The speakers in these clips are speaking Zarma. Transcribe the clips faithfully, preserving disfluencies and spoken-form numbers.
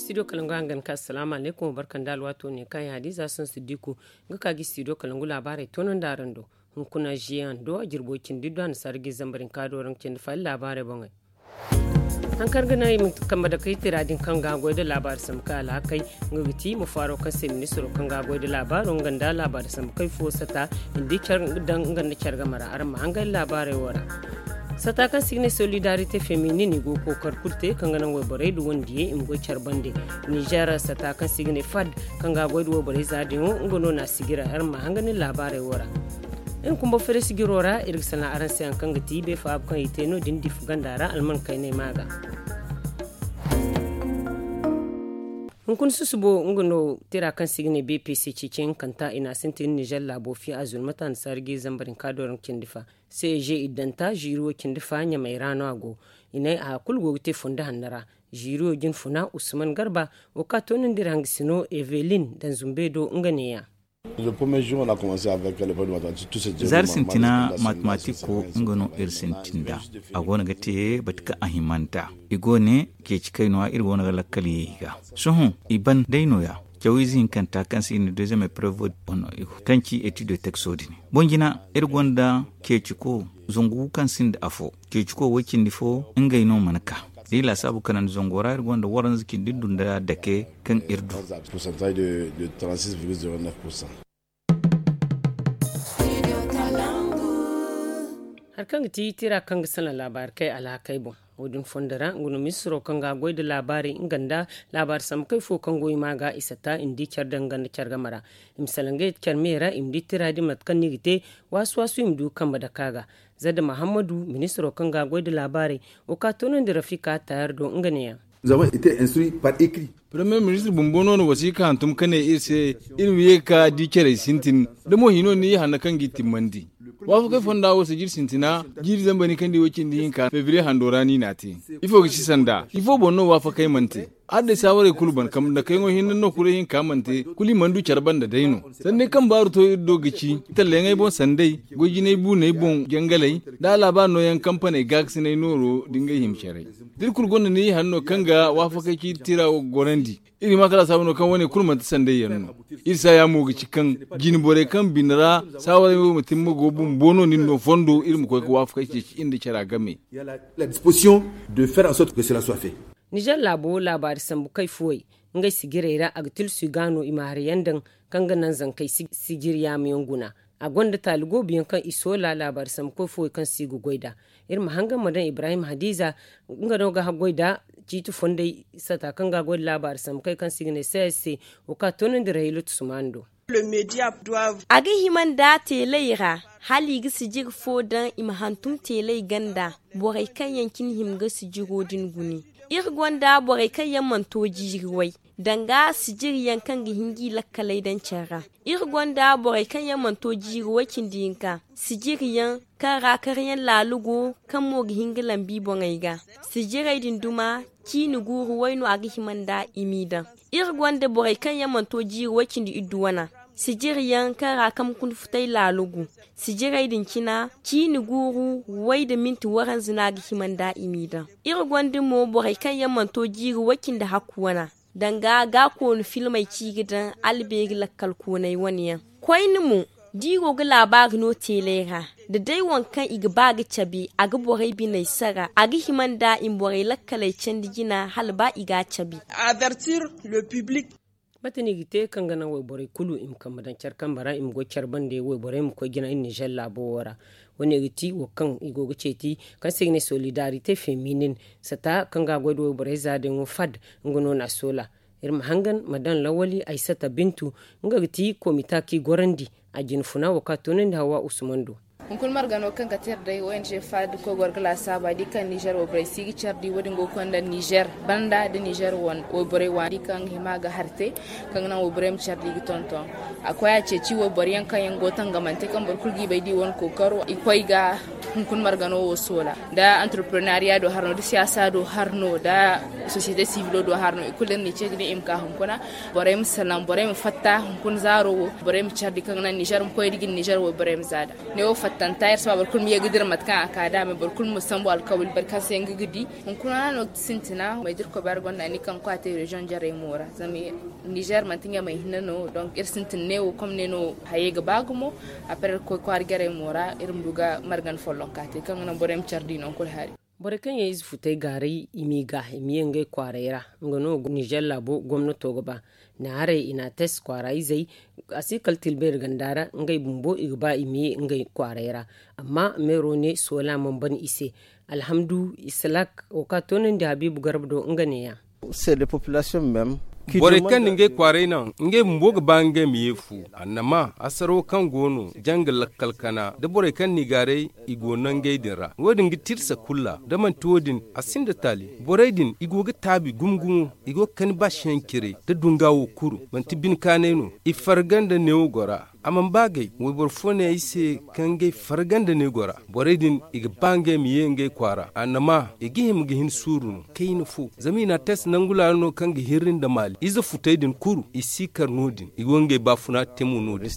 Studio kalangu hangan ka assalamu alaikum barkan da alwato ne kaŋ ya di za sun siddiku. Nga ka gi studio kalangu laabaarey toonandi araŋ do. Hunkuna jiyan do a jirbo cindi do a na sargi zambarin ka do raŋ cindi fayil laabaarey boŋey. Haŋ kaŋ ga naŋ i ma kambe da kay tira din kaŋ ga goy da laabaari sambu kay alhakey, nga ga ti ma faaro kaŋ se ministiro kaŋ ga goy da laabaaro nga nda laabaari sambu kay fo sata, i ma di care daŋ nga nda care game ra araŋ ma hangay laabaarey wo ra. Sata kaŋ se i ga ne solidarite feminin i go ga kookari kulu te kaŋ ga naŋ wayborey da wandiyey i ma goy care bande. Nizer sata kaŋ se i ga ne fad kaŋ ga goy da wayborey za din wo nga no na a sijira araŋ ma hanga nin laabaarey wo ra. Iri kumba fere sijiro ra iri ga sanaŋ araŋ se haŋ kaŋ ga ti beefo haabu kaŋ i te no- din difu ganda ra alman kaynay ma ga. Hunkuna susubo nga no tira kaŋ se i ga ne bpc ceeci hinkanta i na a sintin nizer laabo fiya a zulmata nda sargi zambar hinka do raŋ cindi fa. Ceg iddanta ziiriyo cindi fa ɲamey ra no a go. I ne haya kulu go ga te fondo hanno ra. Ziiriyo jinfuna usman garba wo ka toonandi ra hangasino evelin danzumbe do nga neeya. Zaari sintina matematiko nga no iri sintin da. A go no ga te bati kaŋ a himanta i go ne ceeci kay no- ya iri go no ga lakkal ye i ga. Sohõ i ban day no- ya cawiize hinkanta kaŋ se i na deuxième épreuve kaŋ ci étude texo din. Boŋ jina iri gonda ceeciko zangu kaŋ sinda afo ceeciko way cindi fo ngey no mana ka. Da i laasaabu kanandi zango ra iri gonda waranza cindi du nda dake kaŋ iri du. Hari kaŋ ga ti tira kaŋ ga salaŋ laabaari kay alhakey boŋ. Wo- din fondo ra nga no ministiro kaŋ ga goy nda laabaari nga nda laabaari sambu kay fo kaŋ go i ma ga i sata i ma di care daŋ nga nda care game ra. I ma salaŋ ngey care me ra i ma di tira din mate kaŋ no i ga te. Waasu waasu i ma du kambe dake a ga. Zadda mahammadu ministiro kaŋ ga goy nda laabaarey wo ka toonandi rafika tayar do nga neeya. Paramiyer ministir bumbo no na wasiika hantum ka ne iri se iri ma ye ga ka di carey sintin. Da mo hino ni ye hanno kaŋ g'i timmandi waafakey fonda wo sijir sintina jiiri zambar ni kaŋ di way cindi hinka febriye hando ra ni n'a te. Ifo ga ci sanda ifo boŋ no waafakey mana te? Hala day saawarey kulu ban kambe nda kayŋo hinne no kuray hinka mana te. Kulu i mana du care banda day no. Sanday kaŋ baaru to iri do ga ci talleyaŋey boŋ sanday goy jinay buuney boŋ jangaley da a laabaari nooyaŋ kampaney gaakasinay nooro da ngey hima carey. Da iri kulu gonda ni hanno kaŋ ga waafakey ci iri tira wo ga gorandi. Iri ma kala saabu no kaŋ wane kulu manti sanday yaŋ no. Iri saaya mo ga ci kaŋ jine borey kaŋ bine ra saawarey wo ma timma go bumbo no nin no fondo iri ma koy ga waafakey ceeci iri nda cara game. Nizer laabo laabaari sambu kay fuwey ngey sijirey ra a ga tilsu i ga no i ma hari yaŋ daŋ kaŋ ga naŋ zankey sijir yaamu yaŋ guna. A gonda taali goobu yaŋ kaŋ i soola laabaari sambu kay fuwey kaŋ se i ga goy nd'a. Iri ma hangan ma daŋ ibrahim hadiza nga no ga haggoy nda ciiti fondey sata kaŋ ga a goy nda laabaari sambu kay kaŋ se i ga ne sayar se. Wo ka toonandi rahiilatu sumaani do. A ga hima nda teeley ra hala i ga sijir fo daŋ i ma hantum teeley ganda. Borey kaŋ yaŋ cine hima ga sijiro din guni. Iri gonda borey kaŋ yaŋ mana to jiiri way danga sijir yaŋ kaŋ ga hin ga i lakkaley daŋ care ra. Iri gonda borey kaŋ yaŋ mana to jiiri way cindi hinka sijir yaŋ kaŋ ra karyaŋ laalu go kaŋ mo ga hin ga lambi boŋey ga. Sijirey din duma ciini guuru way no a ga hima nda i m'i daŋ. Iri gonda borey kaŋ yaŋ mana to jiiri way cindi iddu wana sijir yaŋ kaŋ ra kamkun futay laalu gu. Sijirey din cina ciini guuru way nda minti waranza no a ga hima nda i m'i daŋ. Iri gonda mo borey kaŋ yaŋ mana to jiiri way cindi hakku wana danga ga koonu filmey ci ga daŋ albeeri lakkal kooney wane yaŋ. Koyne mo da i go ga laabaari no teeley ra da day waŋ kaŋ i ga ba ga cabe a ga borey biney sara a ga hima nda i ma borey lakkaley candi jina hala ba i ga a cabe. Mate no i ga te kaŋ ga naŋ wayborey kulu i ma kambe daŋ care kambe ra i ma goy care bande wayborey ma koy jina iri nizer laabo wo ra. Wo- ne ga ti wo kaŋ i go ga ceeti kaŋ se i ga ne solidarite feminin sata kaŋ ga a goy nda wayborey za din wo fad. Nga no na a soola. Iri ma hangan ma daŋ lawali aysata bintu nga ga ti komita kaŋ i gorandi a jinfuna wo kaŋ a toonandi hawa usman do. Hunkuna margano kaŋ ga te iri day ong fad koy goro ga laasaaba di kaŋ nizer wayborey si ga care di wo- din go ga konda nizer banda da nizer wayborey waani kaŋ ga hima ga hari te kaŋ ga naŋ wayborey ma care di ga tonton. A koy a ceeci wayboro yaŋ kaŋ yaŋ go tangamante kaŋ boro kulu ga i bay da i wane kookaro i koy ga hunkuna margano wo soola nda entreprenariya do hari no da siyaasa do hari no nda sosiyete sivilo do hari no i kulu da ni ceeci din i ma ka hunkuna. Borey ma salaŋ borey ma fatta hunkuna zaaro wo borey ma care di kaŋ ga naŋ nizer ma koy da gin nizer wayborey ma za da. Ne wo fatta. Tanta iri si ba boro kulu ma ye ga dira mate kaŋ a ka da a ma boro kulu ma sambu alkawali boro kaŋ se nga ga di. Hunkuna no sintina ma dirko bayar gonda ni kaŋ kwate reziyoŋ jarey mo ra zama nizer manti nga may hinne no. Donk iri sintin ne wo kom ne no haye ga ba gumo. Après iri koy kwaara jarey mo ra iri ma du ga margan follonka te kaŋ ga naŋ borey ma care di nangu kulu hari. Borey kaŋ yaŋ ize futey gaaray i m'i ga i ma ye ngey kwaaray ra. Nga no nizer laabo gomnato ga ba. Naarey i n'a tes kwaara izey a si kala tilbeeri ganda ra ngey bumbo i ga ba i ma ye ngey kwaaray ra. Amma meero ne soola mana ban i se. Alhamdu isalak wo kaŋ a toonandi habiibu garba do nga neeya. Borey kaŋ na ngey kwaaray naŋ ngey bumbo ga ba ngey ma ye fu. Annama asaro kaŋ go no janga lakkal kana da borey kaŋ n'i gaaray i go nangey din ra wo- din ga tirsa kulu ra da manti wo- din a sinda taali. Borey din i go ga taabi gumo gumo. I go ga kani baasiyaŋ cire da dunga wo kuru manti bine kaanay no. I farga nda neewo gora. A mana ba gay wayboro fo ne ay se kaŋ ngey farga nda neewo gora. Borey din i ga ba ngey ma ye ngey kwaara annama i ga hima ga hin suuru no kayna fo zama i n'a test nangu laalo no kaŋ ga hirri nda maali ize futey din kuru i si kar no- din i go ngey baafuna te mo no- din.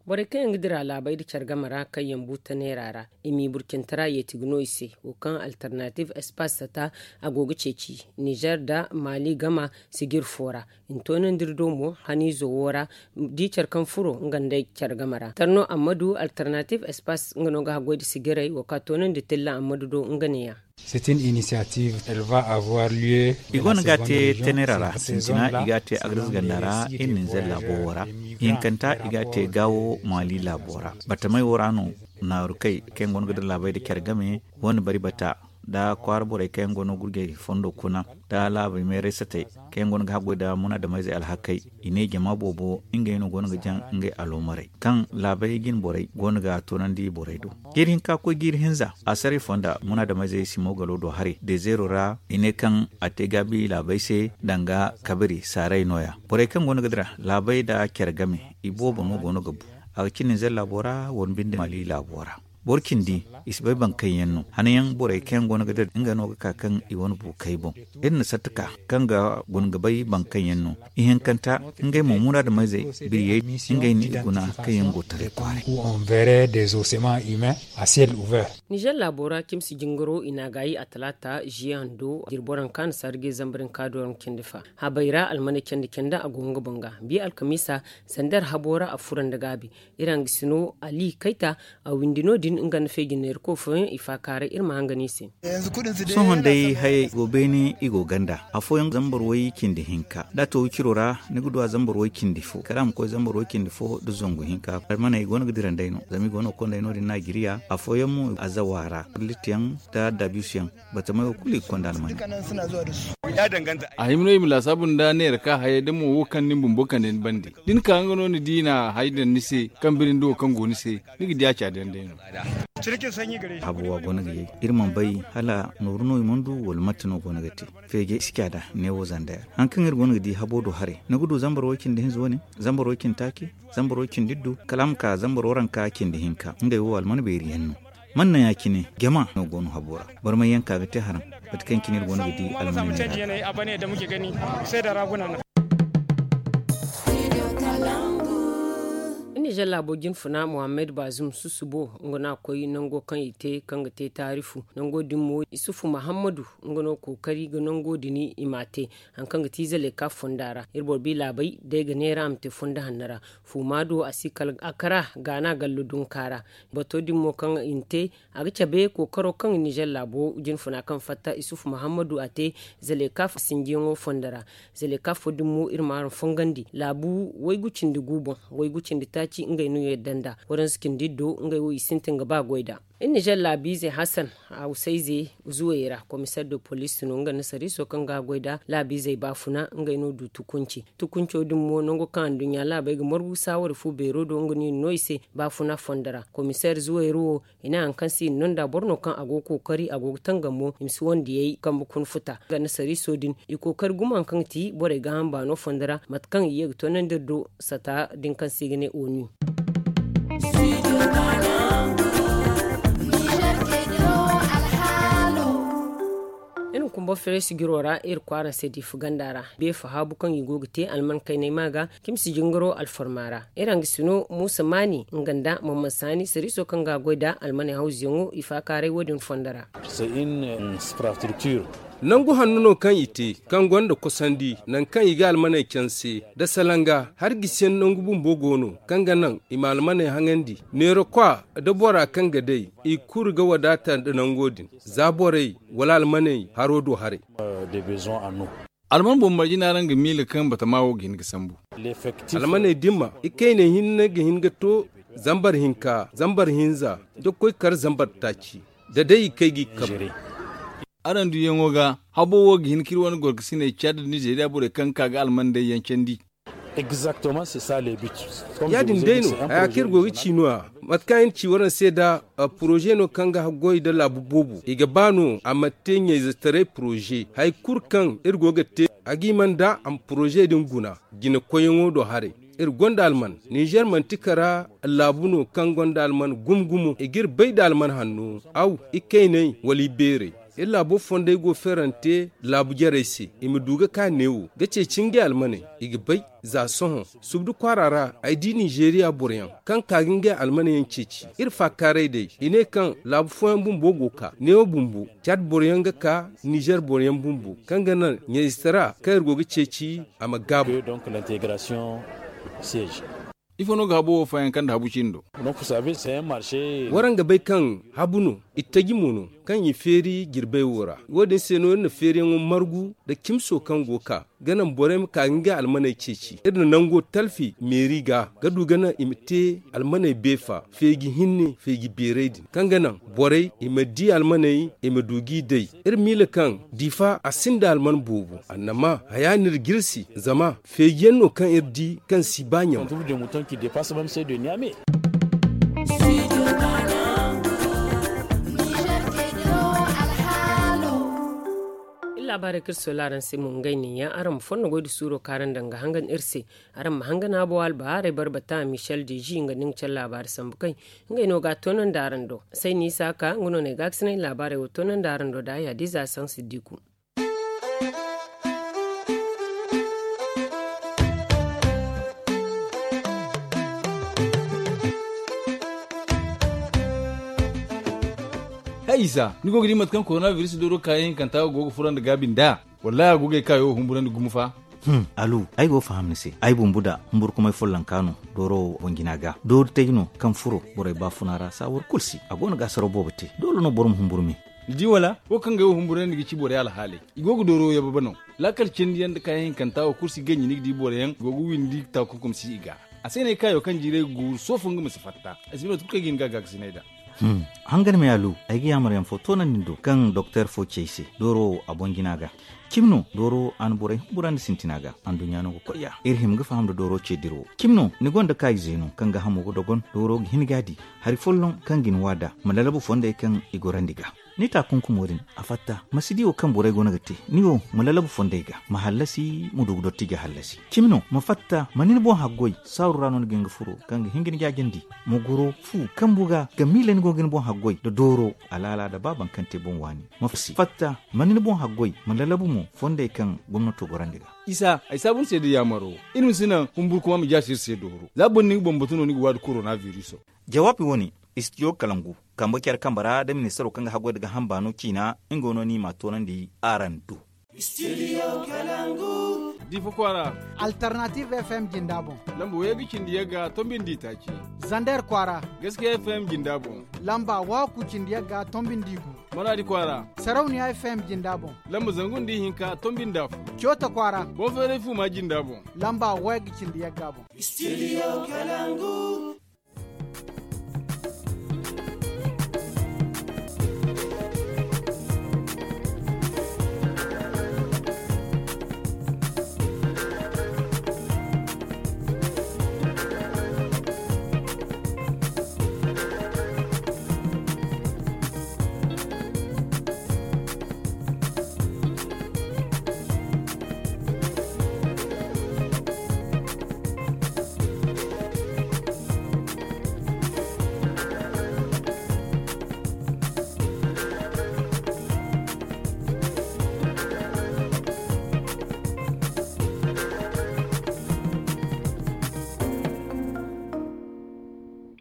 Borey kaŋ yaŋ ga dira laabey nda care game ra kaŋ yaŋ bu taneera ra i m'i burcintara yeeti ga no i se. Wo kaŋ alternative espace sata a go ga ceeci nizer nda maali gama sijir fo ra. I na toonandi iri do mo haniizo wo ra di care kaŋ furo nga nda care game ra tarno ammadu alternative espace nga no ga haggoy nda sijirey wo kaŋ a toonandi tilla ammadu do nga neeya. I go no ga a te tenera ra sintina i ga a te agris ganda ra iri ninzer laabo wo ra. Hinkanta i ga a te gaawo maali laabo ra. Batamey wo ra no naaru kay kaŋ yaŋ go no ga dira laabey nda care game go no bari bata nda kwaara borey kaŋ yaŋ go no gurjey fondo kuna nda laabey meeray satey kaŋ yaŋ go no ga haggoy nda munaadameyzey alhakey. I ne jama boobo ngey no go no ga jaŋ ngey aloomarey kaŋ laabey jine borey go no ga toonandi borey do. Jiiri hinka koy jiiri hinza a saray fonda munaadameyzey simo galo do haray dezeero ra i ne kaŋ a te gaabi laabey se danga kabiri saaray nooya. Borey kaŋ go no ga dira laabey nda care game i boobo no go no ga bu. A ga cindi nizer laabo ra wala binde maali laabo ra. Boro cindi i si bay baŋ kaŋ yaŋ no hanayaŋ borey kaŋ yaŋ go no ga dira nga no ga ka kaŋ i wane bu kay boŋ. Iri na satta ka kaŋ ga guna ga bay baŋ kaŋ yaŋ no. Ihinkanta ngey mo muraadameyzey biriyey ngey no i guna kaŋ yaŋ go taray kwaaray. Nizer laabo ra cimsi jingaro i n'a gaayi a talaata ziye hando jirbo ra kaŋ a na sargay zambar hinka do ra cindi fa. Habay ra almaney candi candi a go nga boŋ ga bi alkamiisa sandar habo ra a furo nda gaabi. Iri hangasino ali kayta a windi no- din nga nda feejinneeri koy fooyaŋ i faakaaray iri ma hangan i se. Sohõ day hayey go beene i go ganda afooyaŋ zambar way cindi hinka da a to wiciro ra ni ga du a zambar way cindi fo kala a ma koy zambar way cindi fo nda zangu hinka almaney go no ga dira nd'ey no zama i go no ga konda ay no- din naajiriya afooyaŋ mo azawa ra litiyaŋ nda dabiisiyaŋ. Batamey wo kulu i ga konda almaney. A hima no i ma laasaabu nda neera ka hayey da mo wo kaŋ ni bumbo kande ni bande da ni ka nga no ni di i na hay daŋ ni se kaŋ biri nda wo kaŋ go ni se ni ga di a caadandi day no. Habo a go no ga yay iri mana bay hala nooru no i mana du wala mate no go no ga te. Feejey si caada neewo zanda yaŋ hari kaŋ iri go no ga di habo do haray ni ga du zambar way cindi hinza wane zambar way cindi taaci zambar way cindi iddu kala a ma ka zambar waranka cindi hinka ngey wo alman beeri yaŋ no. Man no ya- cine jama no go no habo ra. Barmay yaŋ ka ga te haraŋ mate kaŋ cine iri go no ga di alman neera. Nizer laabo jinfuna mohammed bazum susubo nga no a koy nango kaŋ i te kaŋ ga te taarifu nango din mo isufu muhammadu nga no kookari ga nango din i m'a te. Hari kaŋ ga ti zaleka fonda ra iri boro bi laabey day ga neera a ma te fondo hanno ra. Fuuma do a si kala a kara gaana gallo dunka ra. Bato din mo kaŋ i na te a ga cabe kookaro kaŋ nizer laabo jinfuna kaŋ fatta isufu muhammadu a te. Zaleka sinjiyaŋo fondo ra zaleka fo din mo iri ma araŋ fongandi laabu waygu cindi gu boŋ waygu cindi taaci ngey no yadda nda waransu cindi iddo ngey wo i sintin ga ba goy da. Iri nizer laabiizey hasan hawsayze zuwey ra komiseer de poliisi no nga nda sariiso kaŋ ga a goy nda laabiizey baafuna ngey no du tukunci. Tukunco din mo nango kaŋ anduɲɲa laabey ga margu saawari fu beero do nga no i na no i se baafuna fondo ra komiseer zuwey ra wo i ne hari kaŋ se i na no nd'a boro no kaŋ a go ga kookari a go ga tangam mo i ma si wandiyey kambe kuna futa nga nda sariiso din i kookari gumo hari kaŋ ga ti borey gaaham baano fondo ra mate kaŋ i ye ga toonandi iri do sata din kaŋ se i ga ne onu. Boro feeray sijiro ra iri kwaara se diifa ganda ra, beefa haabu kaŋ i go ga te alman kaynay ma ga, cimsi jingaro alfarma ra. Iri hangasino muusa maani nga nda mamman saani sariiso kaŋ ga a goy nda almaney hawzuyaŋo i faakaaray wo- din fondo ra. Nangu hanno no kaŋ i te, kaŋ gonda kosandi nangu kaŋ i ga almaney canse, nda salanga hari gisiyaŋ nangu bumbo go no, kaŋ ga naŋ i ma almaney haŋandi. Neera kwa nda bora kaŋ ga day, i kulu ga wadaata nda nango din, za borey wala almaney haro do haray. Alman boŋ marje no araŋ ga miila kaŋ batama wo ga hin ga sambu. Almaney dimma ikayney hinne ga hin ga to, zambar hinka zambar hinza, da koy kar zambar taaci, da day i kay ga i kabe. Araŋ duyaŋo ga, habo wo ga hin ka iri wane gorkasiney caadi nda nizeeriya borey kaŋ ga ka ga alman day yaŋ candi. Ya- din day no haya kaŋ iri go ga ci no- ya. Mate kaŋ iri ci waraŋ se nda poroze no kaŋ ga haggoy nda laabu boobo i ga ba no a ma te ɲayzetaray poroze hari kulu kaŋ iri go ga te, a ga hima nda a ma poroze din guna. Jinakoyyaŋo do haray, iri gonda alman. Ninzeer manti kara laabu no kaŋ gonda alman gumo gumo i ga iri bay nda alman hanno, aw, ikayney wala ibeerey. Iri laabo fondey go feerante laabu jarey se, i ma du ga ka neewo ga ceeci ngey almaney. I ga bay za sohõ subdu kwaara ra ay di ninzeeriya boroyaŋ kaŋ ka ga ngey almaney yaŋ ceeci. Iri faakaaray day i ne kaŋ laabu fooyaŋ bumbo go ga ka neewo bumbo, caad boroyaŋ ga ka, ninzeer boroyaŋ bumbo, kaŋ ga naŋ ɲayzitara kaŋ iri go ga ceeci a ma gaabu. Ifo no ga habo wo faayaŋ kaŋ nda habu cindo? Waraŋ ga bay kaŋ habu no, ittaji mo no kaŋ i feeri jirbey wo ra. Wo- din se no iri na feeriyaŋo margu nda cimso kaŋ go ga ka ga naŋ borey ma ka ga ngey almaney ceeci. Iri na nango talfi meeri ga ga du ga naŋ i ma te almaney beefa feeji hinne feeji beeray din, kaŋ ga naŋ borey i ma di almaney, i ma du g'i day. Iri miila kaŋ diifa a sinda alman boobo, annama haya no iri jirsi zama feejiyaŋ no kaŋ iri di kaŋ si ba ɲama. Iri laabaarey kaŋ iri soola araŋ se mo ngey neeya, araŋ ma fondo goy nda suuro kaŋ araŋ daŋ ga hangan iri se. Araŋ ma hangan habo albahaarey barbata michel deji nga nda nga care laabaari sambu kay. Ngey no ga a toonandi araŋ do. Sayni isa ka nga no no ay gaakasinay laabaarey wo toonandi araŋ do da ay hadiza saŋ siddiku. Hay isa, ni go ga di mate kaŋ korona biris dooro kaayaŋ hinkanta go ga furandi gaabi nd'a? Wallahi a go ga ay kaayo humburandi gumo fa. Alu, ay go ga faham ni se. Ay bumbu da humburkumay follonka no dooro boŋ jina ga doori tay no kaŋ furo borey baafuna ra saawar kulu se a go no ga asaraw boobo te. Doole no boro ma humburu me. Ni di wala? Wo kaŋ ga ay wo humburandi ga ci borey alhaaley, i go ga dooro yababe no. Laakal cindiyaŋ nda kaayaŋ hinkanta wo kulu si ganji ni ga di boroyaŋ go ga windi taakunkum si i ga. A se no ay kaayo kaŋ jiiray ga guuru soofo nga ma si fatta. Ay si bay mate kulu kaŋ ay ga hin ga a gaakasinay nd'a. Hangan me alu, ay ga yaamar yaŋ fo toonandi ni do kaŋ doktor fo ci ay se dooro wo a boŋ jina ga. Cimi no dooro a na borey humburandi sintina ga. Anduɲɲa no ga koy ya iri hima ga faham nda dooro ce dira wo. Cimi no ni gonda kaayize no kaŋ ga hamo ga dogon dooro ga hin ga a di hari folloŋ kaŋ ga ni wa nd'a ma lalabu fondey kaŋ i gorandi ga. Ni taakunkumo din a fatta ma si di wo kaŋ borey goono ga te. Ni wo ma lalabu fondey ga ma hallasi ma du ga dotti ga hallasi. Cimi no ma fatta ma ni ni boŋ haggoy saaru ra no ni ga hin ga furo kaŋ ga hin ga ni jaajandi. Ma goro fu kambu ga ga miila ni go ga ni boŋ haggoy nda dooro alaala nda ba baŋ kaŋ te boŋ waani. Ma fatta ma ni ni boŋ haggoy ma lalabu mo fondey kaŋ gomnato gorandi ga. Isa ay saabu ni se da yaamaro. Iri ma si naŋ humburkuma ma jaasi iri se dooro za boro ni ga bambatu no ni ga waadi korona viriso. Jawaabi wo-ne, istidiyo kalangu kambe care kambe ra nda ministaro kaŋ ga haggoy nda ga hamba no ciina. Nga no ni m'a toonandi araŋ do. Diifa kwaara. Alternative fm jinda boŋ. Lamba wayey ga cindi yagga tombi nda itaaci. Zander kwaara. Gaskiya fm jinda boŋ. Lamba wahakku cindi yagga tombi nda igu. Maraadi kwaara. Sarauniya fm jinda boŋ. Lamba zangu nda ihinka tombi nda afo. Coota kwaara. Boŋ feeray fuuma jinda boŋ. Lamba wayey ga cindi yagga boŋ. Studio kalangu.